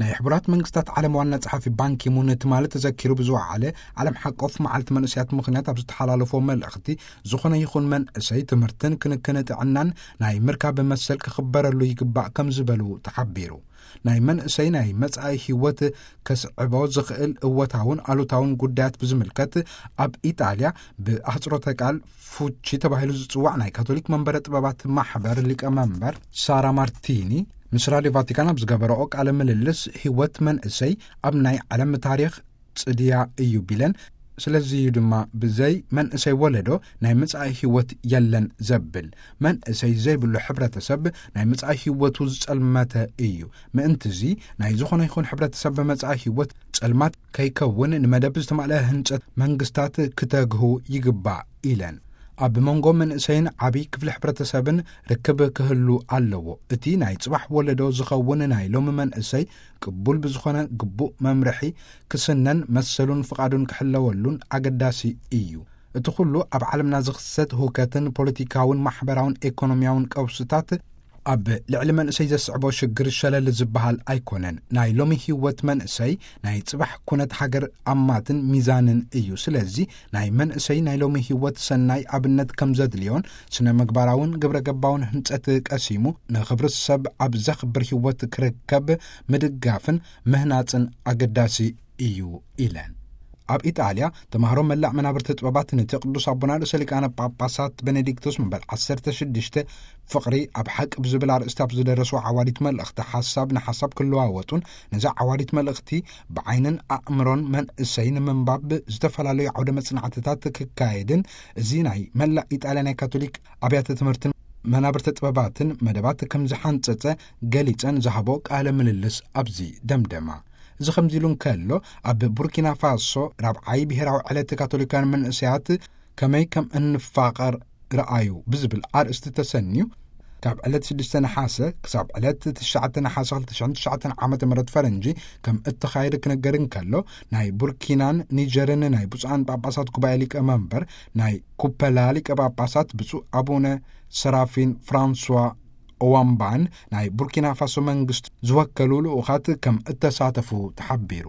ናይ ሕቡራት መንግስታት ዓለም ዋና ጸሓፊ ባንኪሙን ትማሊ ተዘኪሩ ብዝወዓለ ዓለም ሓቆፍ መዓልቲ መንእሰያት ምኽንያት ኣብ ዝተሓላለፎ መልእኽቲ፣ ዝኾነ ይኹን መንእሰይ ትምህርትን ክንክን ጥዕናን ናይ ምርካብ መሰል ክኽበረሉ ይግባእ ከም ዝበሉ ተሓቢሩ። ናይ መንእሰይ ናይ መጻኢ ህይወት ከስዕቦ ዝኽእል እወታውን ኣሉታውን ጉዳያት ብዝምልከት፣ ኣብ ኢጣልያ ብኣህጽሮተ ቃል ፉቺ ተባሂሉ ዝጽዋዕ ናይ ካቶሊክ መንበረ ጥበባት ማሕበር ሊቀ መንበር ሳራ ማርቲኒ ምስ ራድዮ ቫቲካን ኣብ ዝገበረኦ ቃለ ምልልስ፣ ህይወት መንእሰይ ኣብ ናይ ዓለም ታሪኽ ጽድያ እዩ ቢለን፣ ስለዚ እዩ ድማ ብዘይ መንእሰይ ወለዶ ናይ መጻኢ ህይወት የለን ዘብል። መንእሰይ ዘይብሉ ሕብረተሰብ ናይ መጻኢ ህይወቱ ዝጸልመተ እዩ። ምእንትዚ ናይ ዝኾነ ይኹን ሕብረተሰብ መጻኢ ህይወት ጸልማት ከይከውን ንመደብ ዝተማልአ ህንጸት መንግስታት ክተግሁ ይግባእ ኢለን። ኣብ መንጎ መንእሰይን ዓብይ ክፍሊ ሕብረተሰብን ርክብ ክህሉ ኣለዎ። እቲ ናይ ጽባሕ ወለዶ ዝኸውን ናይ ሎሚ መንእሰይ ቅቡል ብዝኾነ ግቡእ መምርሒ ክስነን መሰሉን ፍቓዱን ክሕለወሉን ኣገዳሲ እዩ። እቲ ኩሉ ኣብ ዓለምና ዝኽሰት ህውከትን ፖለቲካውን ማሕበራውን ኤኮኖሚያውን ቀውስታት ኣብ ልዕሊ መንእሰይ ዘስዕቦ ሽግር ሸለል ዝበሃል ኣይኮነን። ናይ ሎሚ ህይወት መንእሰይ ናይ ጽባሕ ኩነት ሃገር ኣማትን ሚዛንን እዩ። ስለዚ ናይ መንእሰይ ናይ ሎሚ ህይወት ሰናይ ኣብነት ከም ዘድልዮን ስነ ምግባራውን ግብረ ገባውን ህንጸት ቀሲሙ ንኽብሪ ሰብ ኣብ ዘኽብር ህይወት ክርከብ ምድጋፍን ምህናጽን ኣገዳሲ እዩ ኢለን። ኣብ ኢጣልያ ተማሃሮ መላእ መናብርቲ ጥበባት ነቲ ቅዱስ ኣቦና ርእሰ ሊቃነ ጳጳሳት ቤኔዲክቶስ መበል ዓሰርተ ሽዱሽተ ፍቕሪ ኣብ ሓቂ ብዝብል ኣርእስቲ ኣብ ዝደረስዎ ዓዋዲት መልእኽቲ ሓሳብ ንሓሳብ ክለዋወጡን ነዛ ዓዋዲት መልእኽቲ ብዓይንን ኣእምሮን መንእሰይ ንምንባብ ዝተፈላለዩ ዓውደ መጽናዕትታት ክካየድን እዚ ናይ መላእ ኢጣልያ ናይ ካቶሊክ ኣብያተ ትምህርትን መናብርቲ ጥበባትን መደባት ከም ዝሓንጸጸ ገሊጸን ዝሃቦ ቃለ ምልልስ ኣብዚ ደምደማ። እዚ ከምዚ ኢሉ እንከሎ፣ ኣብ ቡርኪና ፋሶ ራብዓይ ብሔራዊ ዕለት ካቶሊካውያን መንእሰያት ከመይ ከም እንፋቐር ረኣዩ ብዝብል ኣርእስቲ ተሰንዩ ካብ ዕለት ሽዱሽተ ነሓሰ ክሳብ ዕለት ትሽዓተ ነሓሰ ክልተ ሽሕን ትሽዓተን ዓመተ ምህረት ፈረንጂ ከም እተኻየደ ክነገር እንከሎ፣ ናይ ቡርኪናን ኒጀርን ናይ ብፁዓን ጳጳሳት ጉባኤ ሊቀ መንበር ናይ ኩፐላ ሊቀ ጳጳሳት ብፁዕ ኣቡነ ሰራፊን ፍራንሷ ኦዋምባን ናይ ቡርኪና ፋሶ መንግስቲ ዝወከሉ ልኡኻት ከም እተሳተፉ ተሓቢሩ።